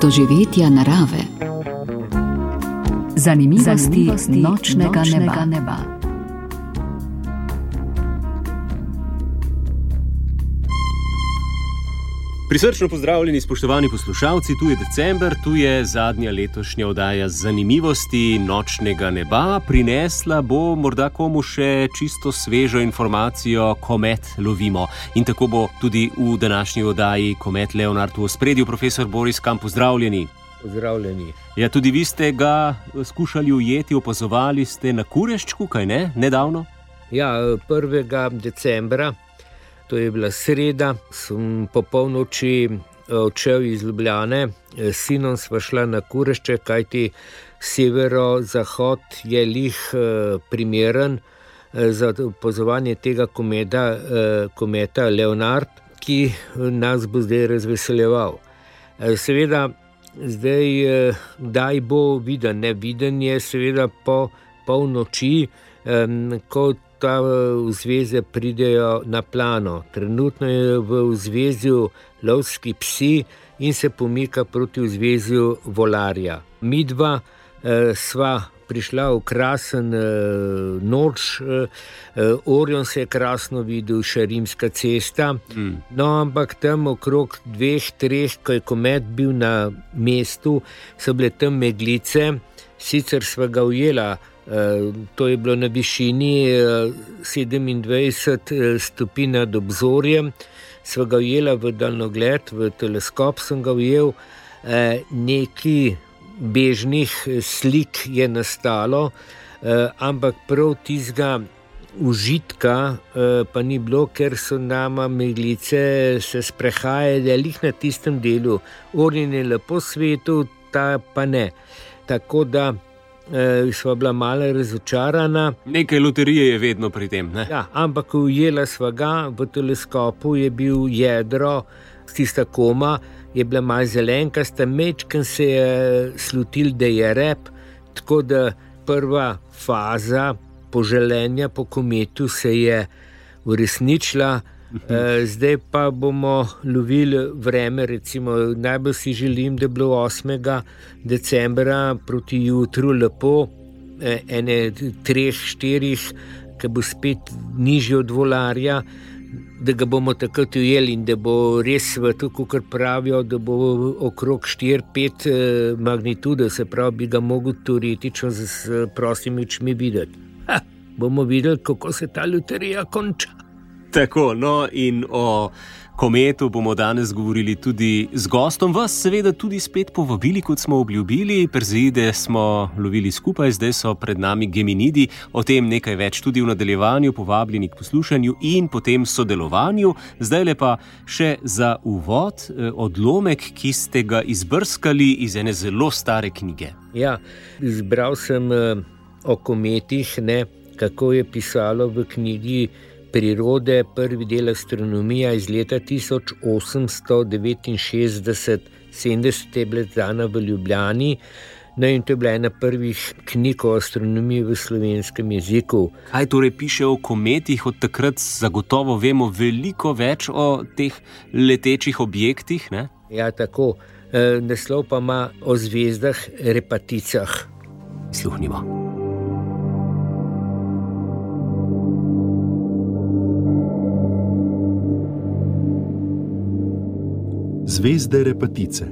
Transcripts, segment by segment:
doživetja narave. Zanimivosti nočnega neba. Prisrčno pozdravljeni, spoštovani poslušalci, tu je december, tu je zadnja letošnja oddaja Zanimivosti nočnega neba. Prinesla bo morda komu še čisto svežo informacijo, komet lovimo. In tako bo tudi v današnji oddaji komet Leonard v ospredju. Profesor Boris Kamp, pozdravljeni. Pozdravljeni. Ja, tudi vi ste ga skušali ujeti, opazovali ste na Kureščku, kaj ne, nedavno? Ja, 1. decembra. To je bila sreda, sem po polnoči odšel iz Ljubljane, s sinom sva šla na Kurešček, kajti severo-zahod je lih primeren za opazovanje tega kometa Leonard, ki nas bo zdaj razveseljeval. Seveda, zdaj, kdaj bo viden, neviden je seveda po polnoči, ko ta vzveze pridejo na plano. Trenutno je v vzvezju lovski psi in se pomika proti vzvezju volarja. Midva sva prišla v krasen noč, Orion se je krasno videl, še Rimska cesta, no ampak tam okrog 2-3, ko je komet bil na mestu, so bile tam meglice, sicer sva ga ujela. To je bilo na višini 27 stopinj nad obzorjem, sva ga ujela v daljnogled, v teleskop sem ga ujel, nekaj bežnih slik je nastalo, ampak prav tistega užitka pa ni bilo, ker so nama meglice se sprehajale lih na tistem delu. Orion je lepo svetil, ta pa ne. Tako da sva bila malo razočarana. Nekaj loterije je vedno pri tem, ne? Ja, ampak ujela sva ga, v teleskopu je bil jedro, tista koma je bila malo zelenkasta, mečken se je slutil, da je rep, tako da prva faza poželenja po kometu se je uresničila. Zdaj pa bomo lovili vreme, recimo najbolj si želim, da je bilo 8. decembra proti jutru lepo, ene 3-4, ki bo spet nižje od volarja, da ga bomo takrat ujeli in da bo res svetu, kakor pravijo, da bo okrog 4-5 magnitude, se pravi, bi ga mogel teoretično s prostimi očmi videti. Bomo videli, kako se ta loterija konča. Tako, no in o kometu bomo danes govorili tudi z gostom. Vas seveda tudi spet povabili, kot smo obljubili. Perseide smo lovili skupaj, zdaj so pred nami Geminidi. O tem nekaj več tudi v nadaljevanju, povabljeni k poslušanju in potem sodelovanju. Zdajle pa še za uvod odlomek, ki ste ga izbrskali iz ene zelo stare knjige. Ja, izbral sem o kometih, kako je pisalo v knjigi Prirode, prvi del astronomija iz leta 1869, 70 je bila izdana v Ljubljani, no in to je bila ena prvih knjig o astronomiji v slovenskem jeziku. Kaj torej piše o kometih? Od takrat zagotovo vemo veliko več o teh letečih objektih, ne? Ja, tako. Naslov pa ima o zvezdah Repaticah. Sluhnimo. Zvezde Repatice.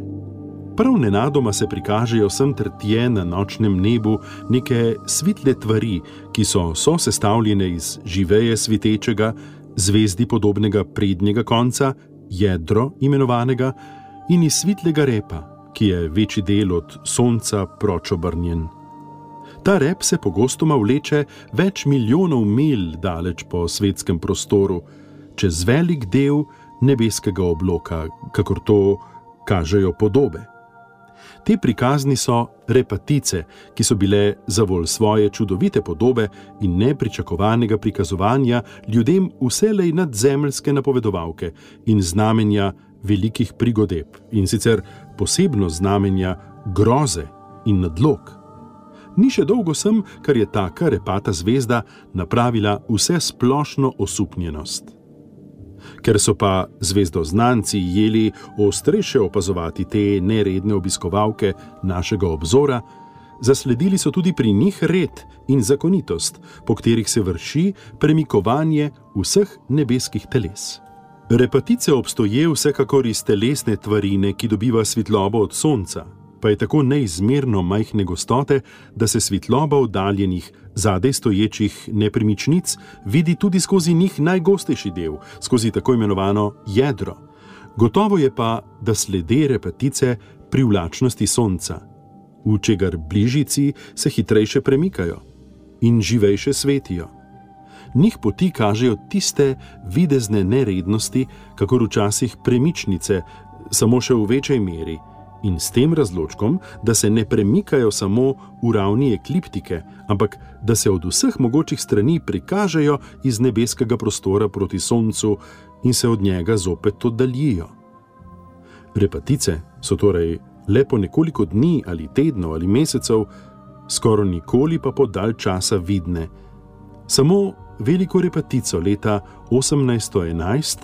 Prav nenadoma se prikažejo sem ter tje na nočnem nebu neke svitle tvari, ki so sestavljene iz živeje svitečega, zvezdi podobnega prednjega konca, jedro imenovanega, in iz svitlega repa, ki je večji del od sonca proč obrnjen. Ta rep se pogostoma vleče več milijonov milj daleč po svetskem prostoru, čez velik del nebeskega obloka, kakor to kažejo podobe. Te prikazni so repatice, ki so bile zavolj svoje čudovite podobe in nepričakovanega prikazovanja ljudem vselej nadzemeljske napovedovalke in znamenja velikih prigodeb, in sicer posebno znamenja groze in nadlog. Ni še dolgo sem, kar je taka repata zvezda napravila vse splošno osupnjenost. Ker so pa zvezdoznanci jeli ostrejše opazovati te neredne obiskovalke našega obzora, zasledili so tudi pri njih red in zakonitost, po katerih se vrši premikovanje vseh nebeskih teles. Repatice obstoje vsekakor iz telesne tvarine, ki dobiva svetlobo od sonca, pa je tako neizmerno majhne gostote, da se svetloba oddaljenih, zadaj stoječih nepremičnic vidi tudi skozi njih najgostejši del, skozi tako imenovano jedro. Gotovo je pa, da slede repatice privlačnosti sonca, v čegar bližici se hitrejše premikajo in živejše svetijo. Njih poti kažejo tiste videzne nerednosti, kakor včasih premičnice, samo še v večji meri, in s tem razločkom, da se ne premikajo samo v ravni ekliptike, ampak da se od vseh mogočih strani prikažejo iz nebeskega prostora proti soncu in se od njega zopet oddaljijo. Repatice so torej le po nekoliko dni ali tednov ali mesecev, skoraj nikoli pa po dalj časa vidne. Samo veliko repatico leta 1811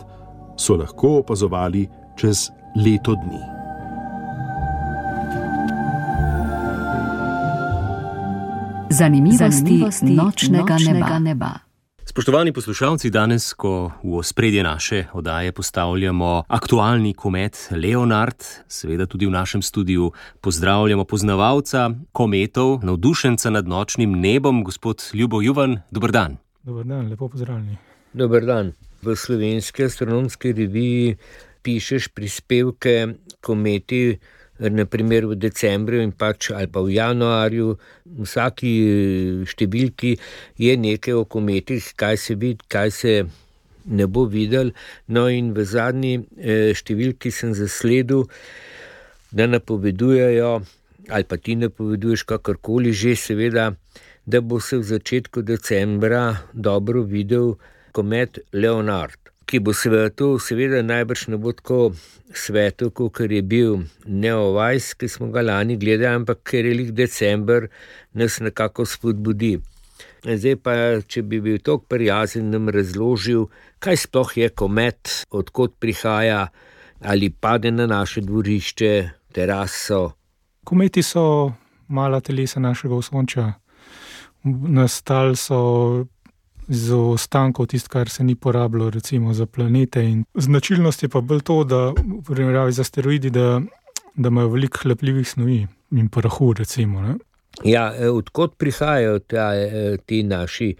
so lahko opazovali čez leto dni. Zanimivosti nočnega neba. Spoštovani poslušalci, danes, ko v ospredje naše oddaje postavljamo aktualni komet Leonard, seveda tudi v našem studiu pozdravljamo poznavalca kometov, navdušenca nad nočnim nebom, gospod Ljubo Juvan. Dober dan. Dober dan, lepo pozdravljeni. Dober dan. V Slovenski astronomski reviji pišeš prispevke kometi, naprimer v decembru in ali pa v januarju. V vsaki številki je nekaj o kometih, kaj se vidi, kaj se ne bo videl. No in v zadnji številki sem zasledil, da napovedujejo, ali pa ti napoveduješ kakorkoli že seveda, da bo se v začetku decembra dobro videl komet Leonard, ki bo seveda najbrž ne bo tako svetel, kot je bil Neowise, ki smo ga lani gledali, ampak ker je lik december, nas nekako spodbudi. Zdaj pa, če bi bil toliko prijazen, nam razložil, kaj sploh je komet, odkot prihaja, ali pade na naše dvorišče, teraso. Kometi so mala telesa našega osončja. Nastali so z ostankov tisto, kar se ni porabilo recimo za planete. In značilnost je pa bolj to, da v primerjavi z asteroidi, da imajo veliko hlapljivih snovi in prahu recimo. Ne? Ja, odkot prihajajo ti naši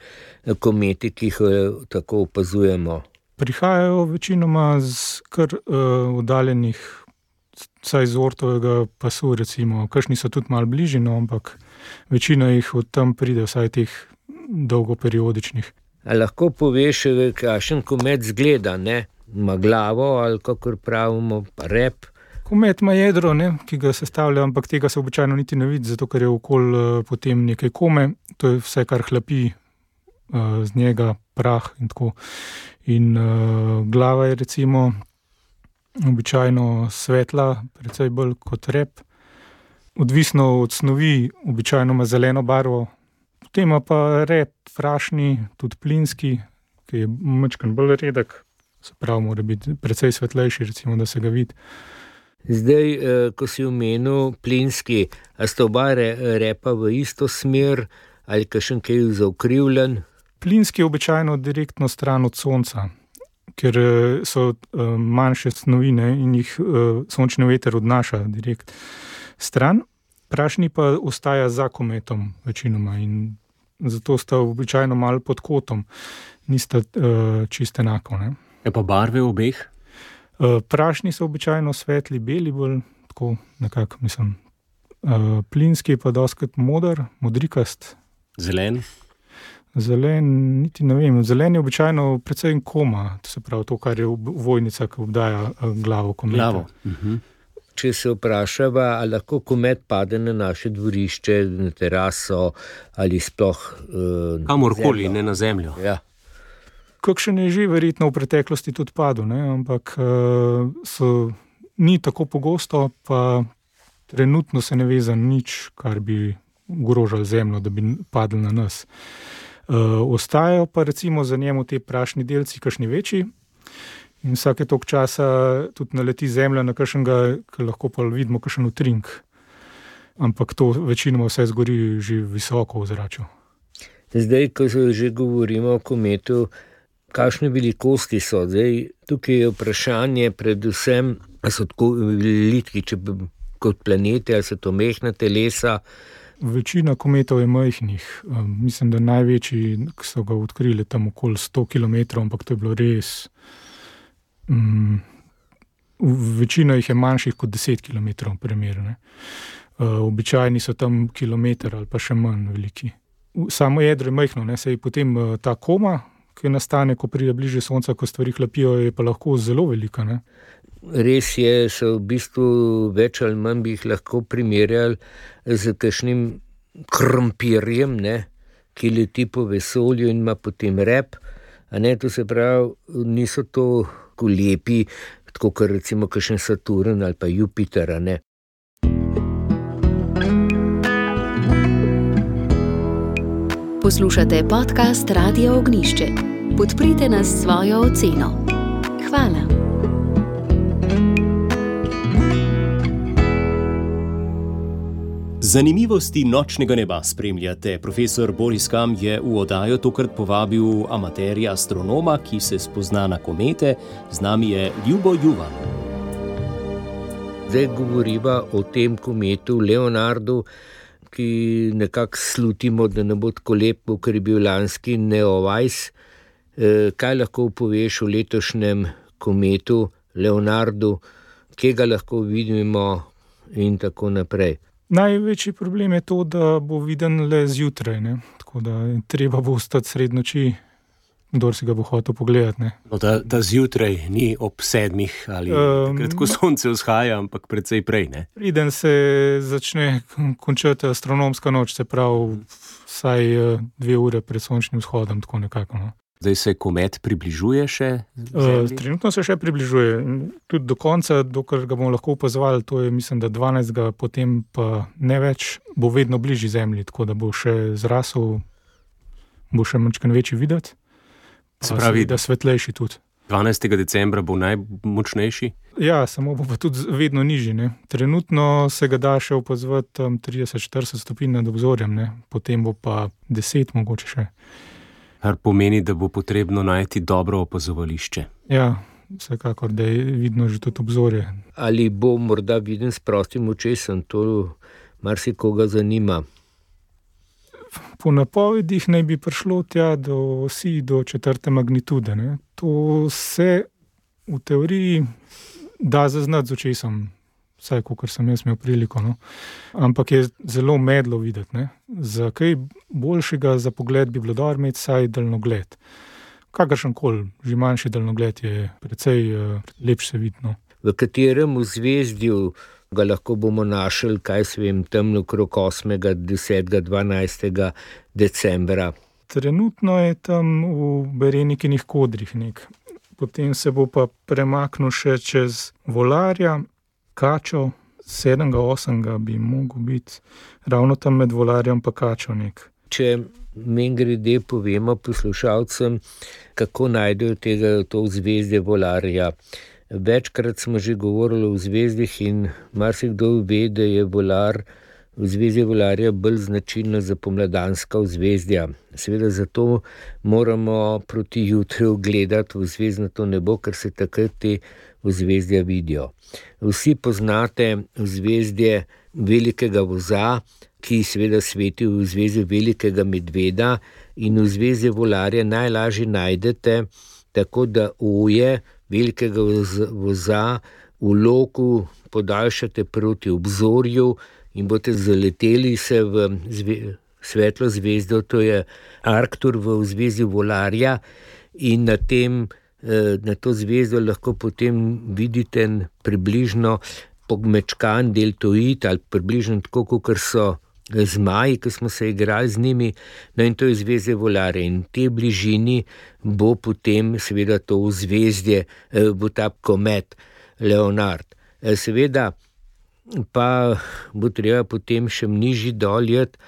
kometi, ki jih tako opazujemo? Prihajajo večinoma z kar oddaljenih, vsaj z Oortovega pasu recimo. Kakšni so tudi malo bližje, no, ampak večina jih od tam pride, vsaj teh dolgoperiodičnih. A lahko poveš, kakšen komet zgleda, ne? Ima glavo ali kakor pravimo, rep? Komet ima jedro, ne, ki ga sestavlja, ampak tega se običajno niti ne vidi, zato ker je okoli potem nekaj kome, to je vse, kar hlapi z njega, prah in tako. In glava je recimo običajno svetla, precej bolj kot rep. Odvisno od snovi, običajno ima zeleno barvo, potem ima pa rep prašni, tudi plinski, ki je majčkeno bolj redek, se pravi, mora biti precej svetlejši, recimo, da se ga vidi. Zdaj, ko si omenil plinski, a sta oba repa v isto smer ali kakšen kaj zaokrivljen? Plinski je običajno direktno stran od sonca, ker so manjše snovine in jih sončni veter odnaša direkt stran. Prašni pa ostaja za kometom večinoma in zato sta običajno malo pod kotom, nista čisto enako. Ne? Je pa barve obeh? Prašni so običajno svetli, beli bolj, tako nekako mislim. Plinski pa dostikrat moder, modrikast. Zelen? Zelen, niti ne vem. Zelen je običajno precej koma, to se pravi to, kar je vojnica, ki obdaja glavo kometa. Glavo. Če se vprašava, ali lahko komet pade na naše dvorišče, na teraso ali sploh kamorkoli, ne na zemljo. Ja. Kakšen je že verjetno v preteklosti tudi padel, ne? Ampak ni tako pogosto, pa trenutno se ne ve za nič, kar bi ogrožalo zemljo, da bi padli na nas. Ostajajo pa recimo za njemu te prašni delci, kakšni večji, In vsake toliko časa tudi naleti Zemlja na kakšnega, ki lahko pa vidimo kakšen utrink. Ampak to večinoma vse zgori že visoko v zraku. Zdaj, ko se že govorimo o kometu, kakšne velikosti so? Zdaj, tukaj je vprašanje predvsem, ali so tako veliki kot planete, ali so to mehna telesa. Večina kometov je majhnih. Mislim, da največji, ki so ga odkrili tam okoli 100 km, ampak to je bilo res... Večina jih je manjših kot 10 km primer. Običajni so tam kilometer ali pa še manj veliki. Samo jedro je majhno, saj potem ta koma, ki nastane, ko pride bliže Sonca, ko stvari hlapijo, je pa lahko zelo velika. Ne? Res je, so v bistvu več ali manj bi jih lahko primerjali z kakšnim krompirjem, ki leti po vesolju in ima potem rep. To se pravi, niso to lepi, tako kot recimo kakšen Saturn ali pa Jupiter. Poslušate podcast Radia Ognjišče. Podprite nas s svojo oceno. Hvala. Zanimivosti nočnega neba spremljate. Profesor Boris Kam je v oddajo tokrat povabil amaterja astronoma, ki se spozna na komete. Z nami je Ljubo Juvan. Zdaj govoriva o tem kometu Leonardu, ki nekako slutimo, da ne bo tako lepo, ker je bil lanski Neowise. Kaj lahko poveš o letošnjem kometu Leonardu, kje ga lahko vidimo in tako naprej? Največji problem je to, da bo viden le zjutraj, tako da treba bo ostati sredi noči, kdor si ga bo hotel pogledati. Da zjutraj ni ob 7 ali takrat, ko sonce vzhaja, ampak precej prej. Preden se začne končati astronomska noč, se pravi vsaj 2 ure pred sončnim vzhodom, tako nekako. Zdaj se komet približuje še? Trenutno se še približuje. Tudi do konca, dokler ga bomo lahko opazovali, to je mislim, da 12. potem pa ne več, bo vedno bližji Zemlji, tako da bo še zrasel, bo še manjčkan večji videti. Se pravi, da svetlejši tudi. 12. decembra bo najmočnejši? Ja, samo bo pa tudi vedno nižji. Trenutno se ga da še opazovati 30-40 stopinj nad obzorjem, potem bo pa 10 mogoče še. Kar pomeni, da bo potrebno najti dobro opazovališče. Ja, vsekakor, da je vidno že tudi obzorje. Ali bo morda viden s prostim očesom, to marsikoga zanima. Po napovedih naj bi prišlo tja do osi do 4. magnitude. To se v teoriji da zaznati z očesom, vsaj kakor sem jaz imel priliko. Ampak je zelo medlo videti. Za kaj boljšega za pogled bi bilo dobro imeti vsaj daljnogled. Kakršenkoli, že manjši daljnogled je precej lepše se vidno. V katerem zvezdju ga lahko bomo našli, tam okrog 8., 10., 12. decembra? Trenutno je tam v Berenikinih kodrih Potem se bo pa premaknil še čez Volarja, Kačo, 7., 8. bi mogel biti, ravno tam med Volarjem pa Kačo Če mimogrede povemo poslušalcem, kako najdejo to zvezdje Volarja. Večkrat smo že govorili o zvezdih in marsikdo ve, da je vzvezdje Volarja bolj značilno za pomladanska vzvezdja. Seveda zato moramo proti jutru gledati v zvezdnato nebo, ker se takrat te vzvezdja vidijo. Vsi poznate vzvezdje Velikega voza, ki seveda sveti v zvezdi Velikega medveda, in vzvezdje Volarja najlažje najdete tako, da oje Velikega voza v loku podaljšate proti obzorju in boste zaleteli se v svetlo zvezdo, to je Arctur v vzvezdju Volarja, in na to zvezdo lahko potem vidite približno pogmečkan deltoid ali približno tako, kot so zmaji, ki smo se igrali z njimi, in to je zvezdje Volarja. In v tej bližini bo potem seveda to zvezdje, bo ta komet Leonard. Seveda pa bo treba potem še nižji doljeti,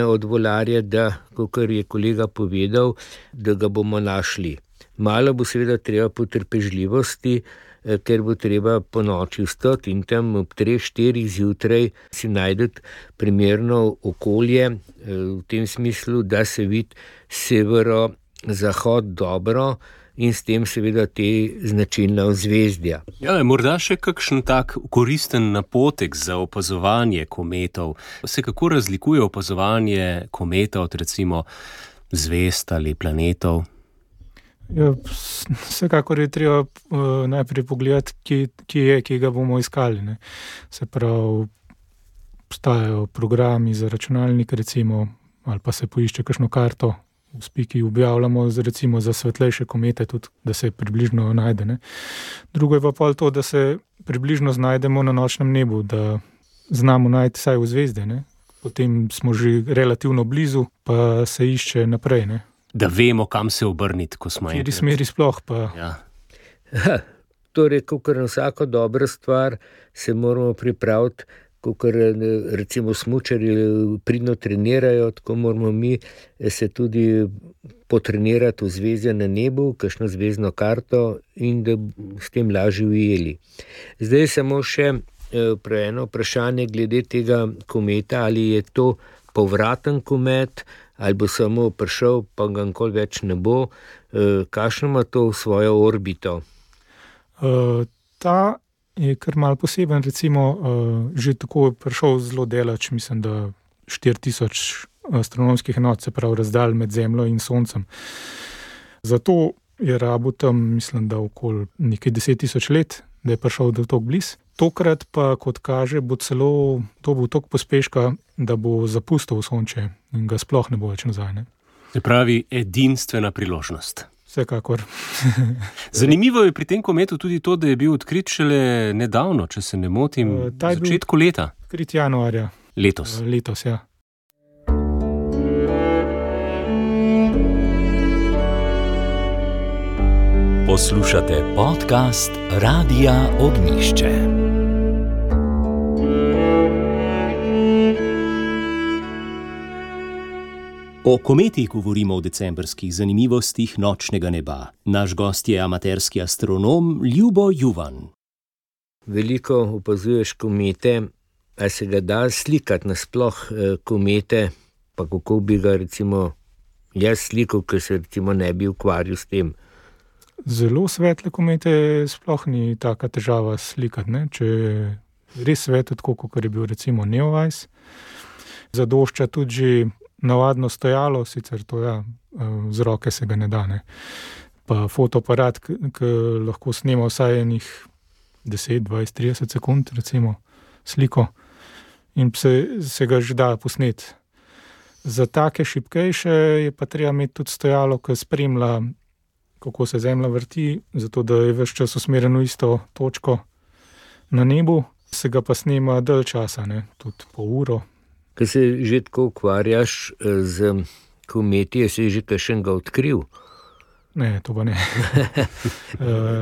od Volarja, da, kakor je kolega povedal, da ga bomo našli. Malo bo seveda treba potrpežljivosti, ker bo treba po noči vstati in tam ob 3-4 zjutraj si najdete primerno okolje, v tem smislu, da se vidi severo-zahod dobro in s tem seveda te značilna ozvezdja. Ja, morda še kakšen tak koristen napotek za opazovanje kometov. Se kako razlikuje opazovanje kometa od recimo zvezd ali planetov? Ja, vsekakor je treba najprej pogledati, kje ga bomo iskali. Ne. Se pravi, obstajajo programi za računalnik, recimo, ali pa se poišče kakšno karto, v Spiki objavljamo recimo za svetlejše komete, tudi da se približno najde. Ne. Drugo je pa pol to, da se približno znajdemo na nočnem nebu, da znamo najti vsaj v zvezde. Ne. Potem smo že relativno blizu, pa se išče naprej. Ne. Da vemo, kam se obrniti, ko smo enkrat. V smeri sploh pa. Ja. Torej, kakor na vsako dobro stvar se moramo pripraviti, kakor recimo smučarji pridno trenirajo, tako moramo mi se tudi potrenirati v zvezde na nebu, kakšno zvezdno karto in da s tem lažje ujeli. Zdaj samo še eno vprašanje glede tega kometa, ali je to povraten komet, ali bo samo prišel, pa ga nikoli več ne bo. Kakšno ima to svojo orbito? Ta je kar malo poseben, recimo že tako je prišel zelo daleč, mislim, da 4000 astronomskih enot, se pravi razdalj med Zemljo in Soncem. Zato je rabil tam, mislim, da okoli nekaj 10 000 let, da je prišel do toliko blizu. Tokrat pa, kot kaže, bo celo to bo toliko pospeška, da bo zapustil Sonče in ga sploh ne bo več nazaj. Ne? Se pravi, edinstvena priložnost. Vsekakor. Zanimivo je pri tem kometu tudi to, da je bil odkrit šele nedavno, če se ne motim, v začetku leta. Odkrit januarja. Letos. Letos, ja. Poslušate podcast Radia Ognišče. O kometih govorimo v decembrskih zanimivostih nočnega neba. Naš gost je amaterski astronom Ljubo Juvan. Veliko opazuješ komete, a se ga da slikati nasploh komete, pa kako bi ga recimo jaz slikal, ker se recimo ne bi ukvarjal s tem. Zelo svetle komete sploh ni taka težava slikati, ne? Če je res svetlo, tako kot je bil recimo Neowise. Zadošča tudi že navadno stojalo, sicer to z roke se ga ne da, ne. Pa fotoaparat, ki lahko snema vsaj enih 10, 20, 30 sekund recimo sliko in se ga že da posneti. Za take šibkejše je pa treba imeti tudi stojalo, ki spremlja, kako se Zemlja vrti, zato da je ves čas usmerjen v isto točko na nebu, se ga pa snema dalj časa, ne, tudi po uro. Ko se že tako ukvarjaš z kometi, je se že kakšnega odkril? Ne, to pa ne.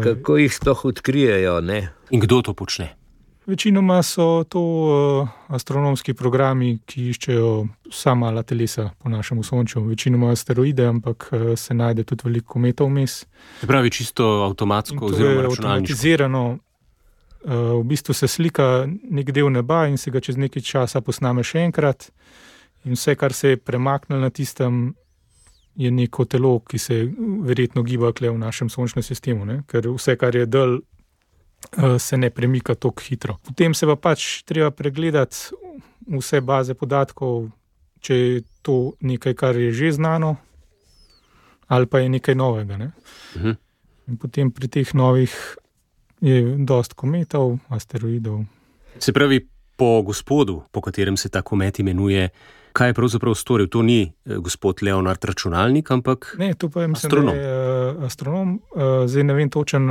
Kako jih sploh odkrijejo, ne? In kdo to počne? Večinoma so to astronomski programi, ki iščejo vsa mala telesa po našem Sonču. Večinoma asteroide, ampak se najde tudi veliko kometov vmes. Se pravi čisto avtomatsko oziroma računalniško? Avtomatizirano. V bistvu se slika nek del neba in se ga čez nekaj časa posname še enkrat. In vse, kar se je premaknilo na tistem, je neko telo, ki se verjetno giba kle v našem sončnem sistemu, ne? Ker vse, kar je dalj, se ne premika tako hitro. Potem se pa pač treba pregledati vse baze podatkov, če je to nekaj, kar je že znano, ali pa je nekaj novega. Ne? In potem pri teh novih je dosti kometov, asteroidov. Se pravi, po gospodu, po katerem se ta komet imenuje, kaj je pravzaprav storil? To ni gospod Leonard računalnik, ampak ne, to pa je, mislim, astronom. Da je astronom. Zdaj ne vem točen,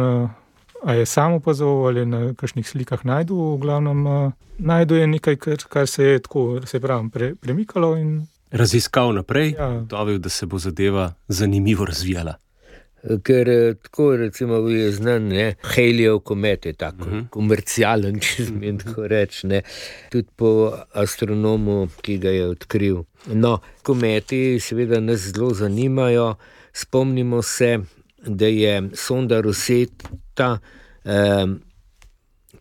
a je sam opazoval ali na kakšnih slikah najdu. V glavnem najdu je nekaj, kar se je tako, se pravi, premikalo in raziskal naprej, ja. Dovil, da se bo zadeva zanimivo razvijala. Ker tako recimo je znan, ne, Halleyjev komet je tako komercialen, če smem tako reči, ne, tudi po astronomu, ki ga je odkril. No, kometi seveda nas zelo zanimajo. Spomnimo se da je sonda Rosetta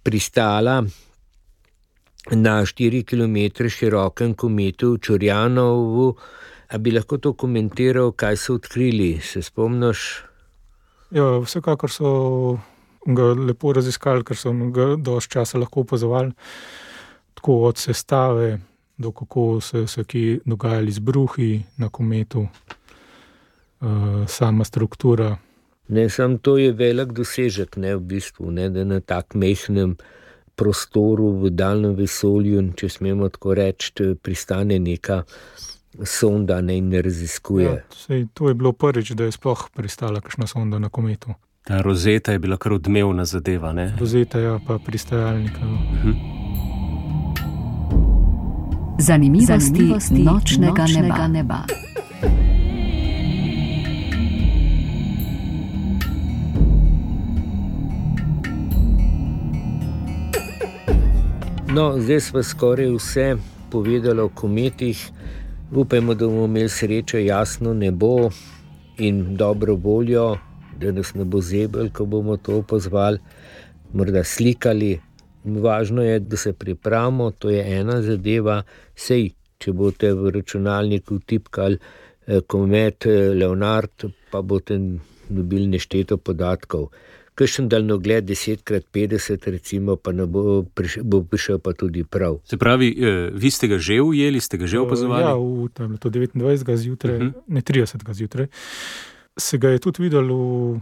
pristala na 4 km širokem kometu Čorjanovu. A bi lahko to komentiral, kaj so odkrili? Se spomniš? Ja, vsekakor so ga lepo raziskali, ker so ga dosti časa lahko opazovali, tako od sestave do kako se kje dogajali izbruhi na kometu, sama struktura. Ne, samo to je velik dosežek, ne, v bistvu, ne, da na tak mehnem prostoru v daljnem vesolju, če smemo tako reči, pristane neka sonda, ne, in ne raziskuje. Ja, to je bilo prvič, da je sploh pristala kakšna sonda na kometu. Ta Rosetta je bila kar odmevna zadeva, ne? Rosetta, ja, pa pristajalnika. Zanimivosti nočnega neba. No, zdaj smo skoraj vse povedali o kometih. Upajmo, da bomo imeli srečo, jasno nebo in dobro voljo, da nas ne bo zebel, ko bomo to opazovali, morda slikali. Važno je, da se pripravimo, to je ena zadeva. Sej, če boste v računalniku tipkali komet Leonard, pa boste dobili nešteto podatkov. Kakšen daljnogled 10x50 recimo, pa ne bo prišel pa tudi prav. Se pravi, vi ste ga že ujeli, ste ga že opazovali? Ja, v to 29. zjutraj, ne 30. zjutraj, se ga je tudi videlo,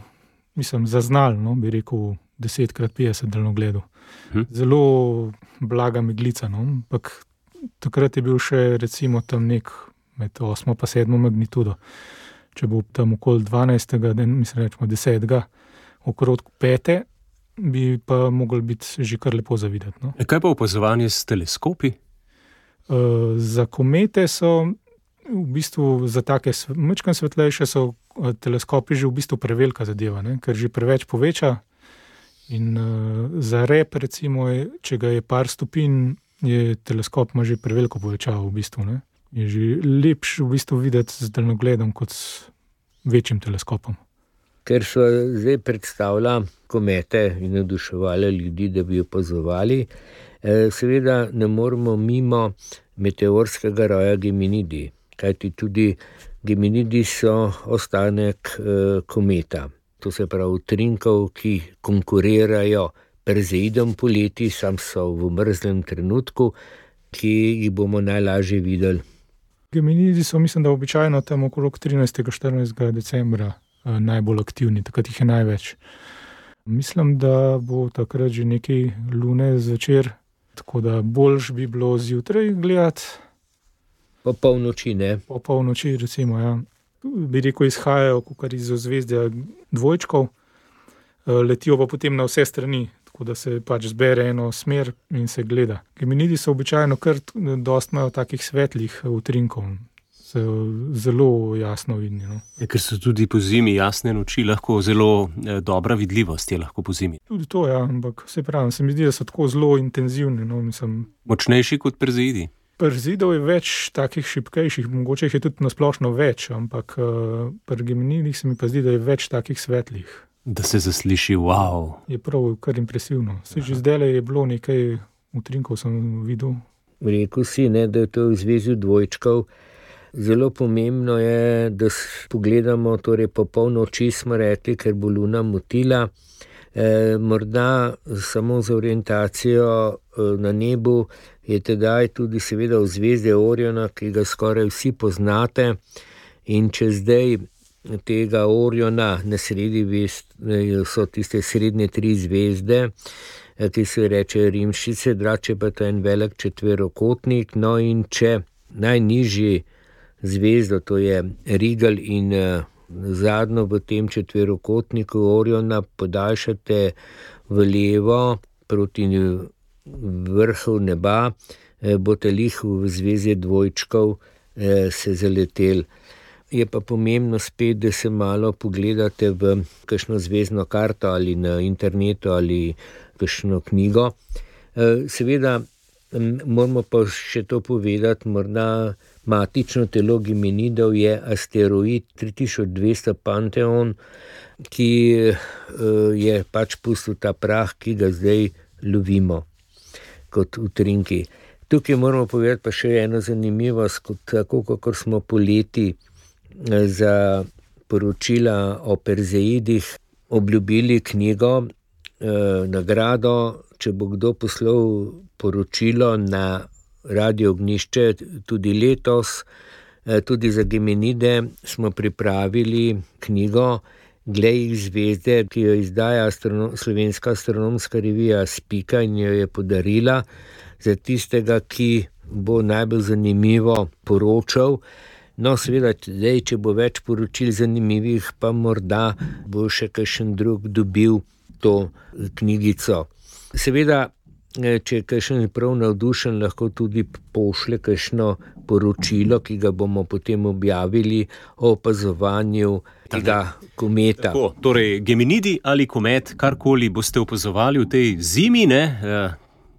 zaznal, no, bi rekel, 10x50 daljnogledu. Zelo blaga meglica, no, ampak takrat je bil še recimo tam nek med 8 pa 7 magnitudo. Če bo tam okoli 12. rečemo 10. okrog 5. bi pa mogli biti že kar lepo zavideti. No. Kaj pa opazovanje s teleskopi? Za komete so v bistvu, za take majčkeno svetlejše so teleskopi že v bistvu prevelika zadeva, ne? Ker že preveč poveča in za rep recimo, če ga je par stopinj, je teleskop ima že preveliko povečavo v bistvu, ne? Je že lepš v bistvu videti z daljnogledom kot s večjim teleskopom. Ker so zdaj predstavlja komete in navduševali ljudi, da bi jo opazovali, seveda ne moremo mimo meteorskega roja Geminidi, kajti tudi Geminidi so ostanek kometa. To se pravi utrinkov, ki konkurirajo Perzeidom poleti, sam so v mrzlem trenutku, ki jih bomo najlažje videli. Geminidi so, mislim, da običajno tam okrog 13. 14. decembra najbolj aktivni, takrat jih je največ. Mislim, da bo takrat že nekaj lune zvečer, tako da boljš bi bilo zjutraj gledati. Po polnoči, ne? Po polnoči, recimo, ja. Bi rekel, izhajajo kakor iz ozvezdja dvojčkov, letijo pa potem na vse strani, tako da se pač zbere eno smer in se gleda. Geminidi so običajno kar dosti imajo takih svetlih utrinkov, so zelo jasno vidni. No. Ker so tudi po zimi jasne noči, lahko zelo dobra vidljivost je lahko po zimi. Tudi to, ja, ampak se pravi, se mi zdi, da so tako zelo intenzivni. No, močnejši kot Perzeidi? Perzeidov je več takih šibkejših, mogoče jih je tudi nasplošno več, ampak pri Geminidih se mi pa zdi, da je več takih svetlih. Da se zasliši, wow. Je prav kar impresivno. Že zdajle je bilo nekaj utrinkov, sem videl. Rekel si, ne, da je to v zvezi dvojčkov. Zelo pomembno je, da pogledamo, torej po polnoči smo rekli, ker bo luna motila. Morda samo za orientacijo na nebu je tedaj tudi seveda ozvezdje Oriona, ki ga skoraj vsi poznate, in če zdaj tega Oriona na sredi so tiste srednje 3 zvezde, ki se reče Rimšice, drače pa to je en velik četverokotnik, no in če najnižji zvezdo, to je Rigel in zadnjo v tem četverokotniku Oriona podaljšate v levo proti vrhu neba, boste lih v zvezi dvojčkov se zaleteli. Je pa pomembno spet, da se malo pogledate v kakšno zvezdno karto ali na internetu ali kakšno knjigo. Seveda Moramo pa še to povedati, morda matično telo Geminidov je asteroid 3200 Pantheon, ki je pač pustil ta prah, ki ga zdaj lovimo kot utrinki. Tukaj moramo povedati pa še eno zanimivost, tako kakor smo poleti za poročila o Perzeidih obljubili knjigo, nagrado, če bo kdo poslal poročilo na Radio Ognjišče tudi letos, tudi za Geminide smo pripravili knjigo Glej zvezde, ki jo izdaja Slovenska astronomska revija Spika in jo je podarila za tistega, ki bo najbolj zanimivo poročal. No, seveda, zdaj, če bo več poročil zanimivih, pa morda bo še kakšen drug dobil to knjigico. Seveda, če je kakšen prav navdušen, lahko tudi pošlje kakšno poročilo, ki ga bomo potem objavili o opazovanju tega kometa. Tako, torej, Geminidi ali komet, karkoli boste opazovali v tej zimi, ne?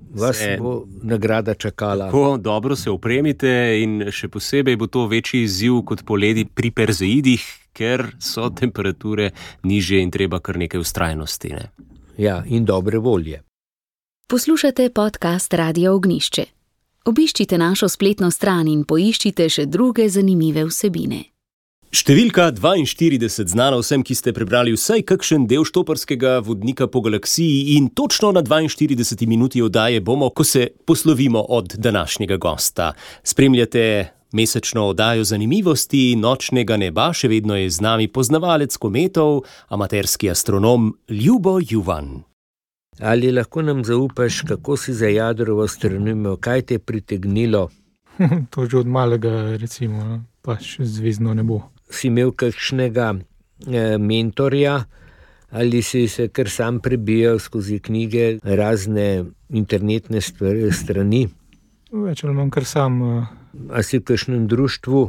Vas bo nagrada čakala. Tako, dobro se opremite in še posebej bo to večji izziv kot poleti pri Perzeidih, ker so temperature nižje in treba kar nekaj vztrajnosti. Ne? Ja, in dobre volje. Poslušate podcast Radio Ognjišče. Obiščite našo spletno stran in poiščite še druge zanimive vsebine. Številka 42 znana vsem, ki ste prebrali vsaj kakšen del štoparskega vodnika po galaksiji, in točno na 42 minuti oddaje bomo, ko se poslovimo od današnjega gosta. Spremljate mesečno oddajo zanimivosti nočnega neba, še vedno je z nami poznavalec kometov, amaterski astronom Ljubo Juvan. Ali lahko nam zaupaš, kako si zajadral v astronomijo, kaj te je pritegnilo? To že od malega, recimo, pa še zvezdno nebo. Si imel kakšnega mentorja ali si se kar sam prebijal skozi knjige, razne internetne strani? Več ali manj kar sam. A si v kakšnem društvu?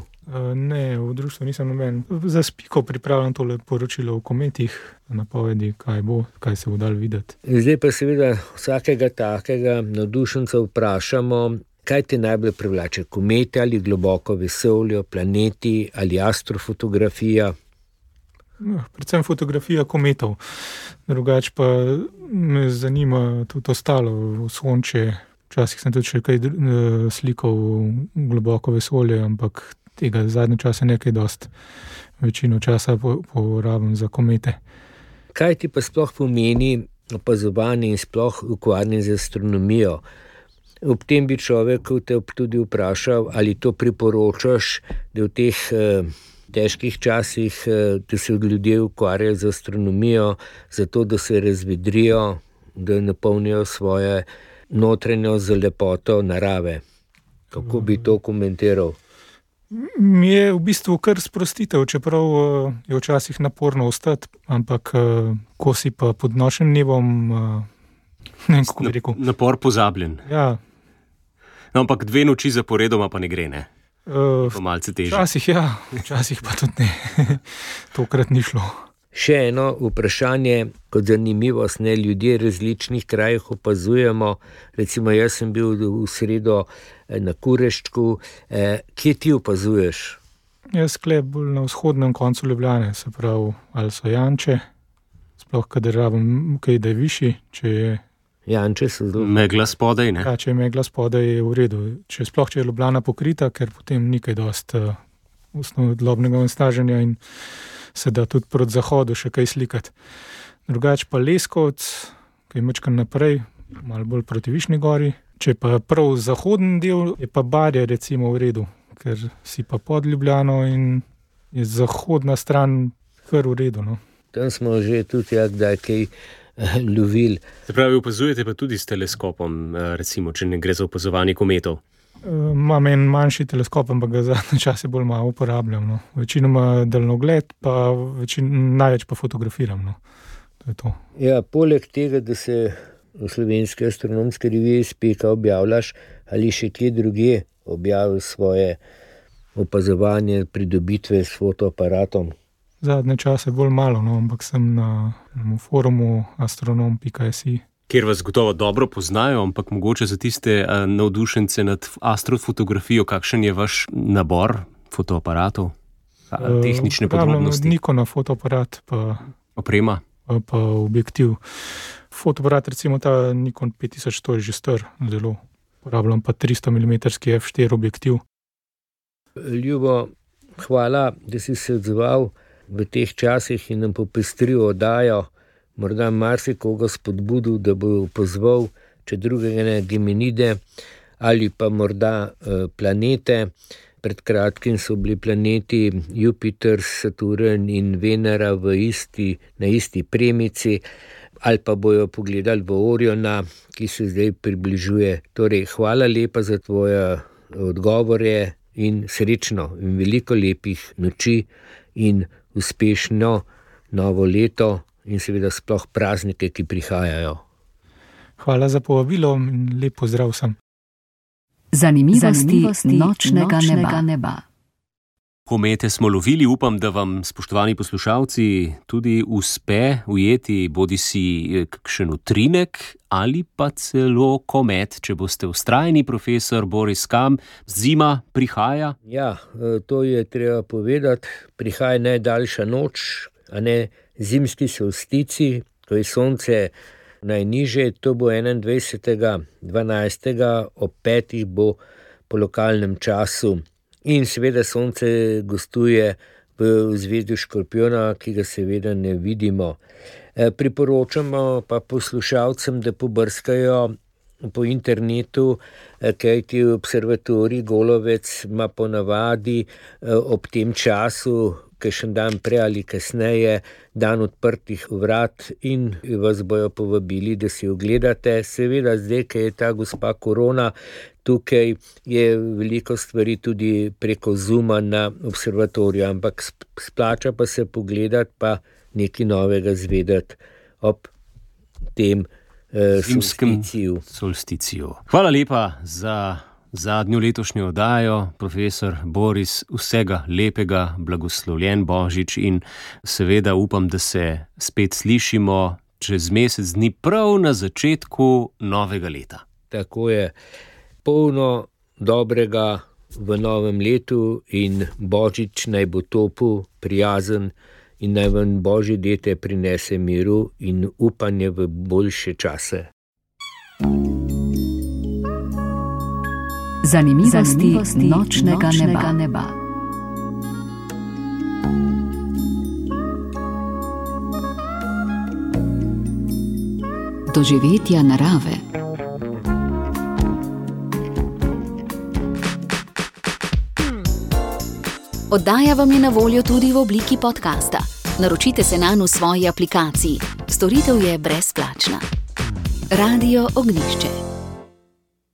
Ne, v društvu nisem noben. Za Spiko pripravljam tole poročilo o kometih, napovedi, kaj se bo dalo videti. Zdaj pa seveda vsakega takega navdušenca vprašamo, kaj te najbolj privlače, komete ali globoko vesolje, planeti ali astrofotografija? Predvsem fotografija kometov. Drugače pa me zanima tudi ostalo, Sonče. Včasih sem tudi še kaj slikal globoko vesolje, ampak tega zadnje čase nekaj dost. Večino časa porabim za komete. Kaj ti pa sploh pomeni opazovanje in sploh ukvarjanje z astronomijo? Ob tem bi človek te tudi vprašal, ali to priporočaš, da v teh težkih časih, da se ljudje ukvarjajo z astronomijo, zato da se razvedrijo, da napolnijo svoje notranjo z lepoto narave. Kako bi to komentiral? Mi je v bistvu kar sprostitev, čeprav je včasih naporno ostati, ampak ko si pa pod nočnim nebom, ne vem, kako bi rekel. Napor pozabljen. Ja. No, ampak 2 noči zaporedoma pa ne gre, ne? Pa malce težje. Včasih pa tudi ne. Tokrat ni šlo. Še eno vprašanje, kot zanimivost, ne, ljudje v različnih krajih opazujemo. Recimo, jaz sem bil v sredo na Kureščku. Kje ti opazuješ? Jaz sklep bolj na vzhodnem koncu Ljubljane, se pravi, ali so Janče, sploh kadar rabim kaj, da je višji, če je Janče so zelo... Megla spodaj, ne? Ja, če je megla spodaj, je v redu. Če je Ljubljana pokrita, ker potem nikaj dost osnovnodlobnega onesnaženja in se da tudi proti zahodu še kaj slikati. Drugače pa Leskovec, ki je mečkan naprej, malo bolj proti Višnji gori. Če pa prav zahodni del, je pa Barje recimo v redu, ker si pa pod Ljubljano in je zahodna stran kar v redu. No. Tam smo že tudi kdaj kaj lovili. Se pravi, opazujete pa tudi s teleskopom, recimo, če ne gre za opazovanje kometov? Imam en manjši teleskop, ampak ga zadnje čase bolj malo uporabljam. No. Večinoma daljnogled, pa največ pa fotografiram. No. To je to. Ja, poleg tega, da se v Slovenski astronomski reviji Spika objavljaš, ali še kje druge objavil svoje opazovanje, pridobitve s fotoaparatom? Zadnje čase bolj malo, no, ampak sem na forumu astronom.si. kjer vas gotovo dobro poznajo, ampak mogoče za tiste navdušence nad astrofotografijo, kakšen je vaš nabor fotoaparatov, tehnične podrobnosti? Nikonov fotoaparat, pa oprema. Pa objektiv. Fotoaparat, recimo ta Nikon 5100 je že star, zelo uporabljam pa 300 mm f4 objektiv. Ljubo, hvala, da si se odzval v teh časih in nam popestril oddajo, morda marsikoga spodbudil, da bo pozval, če drugega ne, Geminide ali pa morda planete. Pred kratkim so bili planeti Jupiter, Saturn in Venera na isti premici, ali pa bojo pogledali v Oriona, ki se zdaj približuje. Torej, hvala lepa za tvoje odgovore in srečno in veliko lepih noči in uspešno novo leto in seveda sploh praznike, ki prihajajo. Hvala za povabilo in lep pozdrav vsem. Zanimivosti nočnega neba. Komete smo lovili, upam, da vam, spoštovani poslušalci, tudi uspe ujeti bodisi kakšen utrinek ali pa celo komet, če boste vztrajni, profesor Boris Kam. Zima prihaja? Ja, to je treba povedati. Prihaja najdaljša noč, a ne zimski solstici, ko je sonce najnižje, to bo 21.12. ob 5. bo po lokalnem času. In seveda sonce gostuje v zvezdu Škorpijona, ki ga seveda ne vidimo. Priporočamo pa poslušalcem, da pobrskajo po internetu, kajti observatorij Golovec ima ponavadi ob tem času, kakšen dan prej ali kasneje, dan odprtih vrat in vas bojo povabili, da si ogledate. Seveda zdaj, ko je ta gospa korona, tukaj je veliko stvari tudi preko Zooma na observatoriju, ampak splača pa se pogledati, pa nekaj novega zvedeti ob tem solsticiju. Hvala lepa za zadnjo letošnjo oddajo, profesor Boris, vsega lepega, blagoslovljen Božič in seveda upam, da se spet slišimo čez mesec dni prav na začetku novega leta. Tako je, polno dobrega v novem letu in Božič naj bo topel, prijazen in naj vam Božji dete prinese miru in upanje v boljše čase. Zanimivosti nočnega neba. Doživetja narave. Oddaja vam je na voljo tudi v obliki podcasta. Naročite se nanj v svoji aplikaciji. Storitev je brezplačna. Radio Ognjišče.